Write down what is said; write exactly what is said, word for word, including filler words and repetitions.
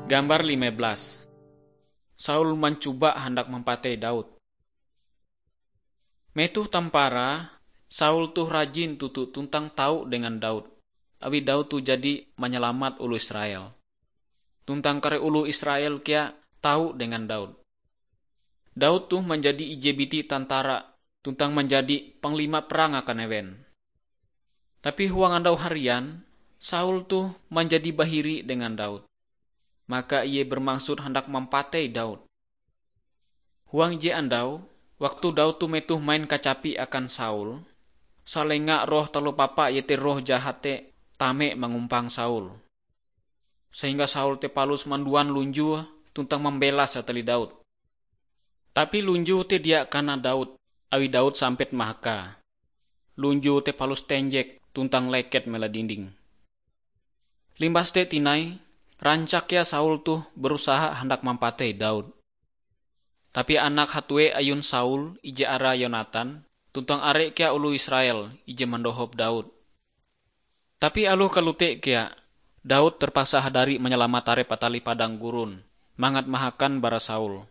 Gambar lima belas. Saul mancoba handak mampatei Daud. Metoh tamparae, Saul toh rajin toto tuntang tau dengan Daud, awi Daud toh jadi manyalamat oloh Israel. Tuntang kare oloh Israel kea tau dengan Daud. Daud toh manjadi ije biti tantara tuntang manjadi panglima perang akan ewen. Tapi huang andau harian, Saul toh manjadi bahiri dengan Daud. Maka ie bermaksud handak mampatei Daud. Huang ije andau, waktu Daud toh metoh main kacapi akan Saul, salenga roh taloh papa iete roh jahat te tame mangumpang Saul. Sehingga Saul te palus manduan lunjue tuntang mambelas atali Daud. Tapi lunjue te dia kana Daud, awi Daud sampet mahakae. Lunjue te palus tenjek tuntang leket mela dinding. Limbas te tinai, rancak kea Saul toh berusaha handak mampatei Daud. Tapi anak hatue ayun Saul ije arae Yonatan, tuntang are kea oloh Israel ije mandohop Daud. Tapi aloh kalote kea, Daud terpaksa hadari manyalamat arep atali padang gurun, mangat mahakan bara Saul.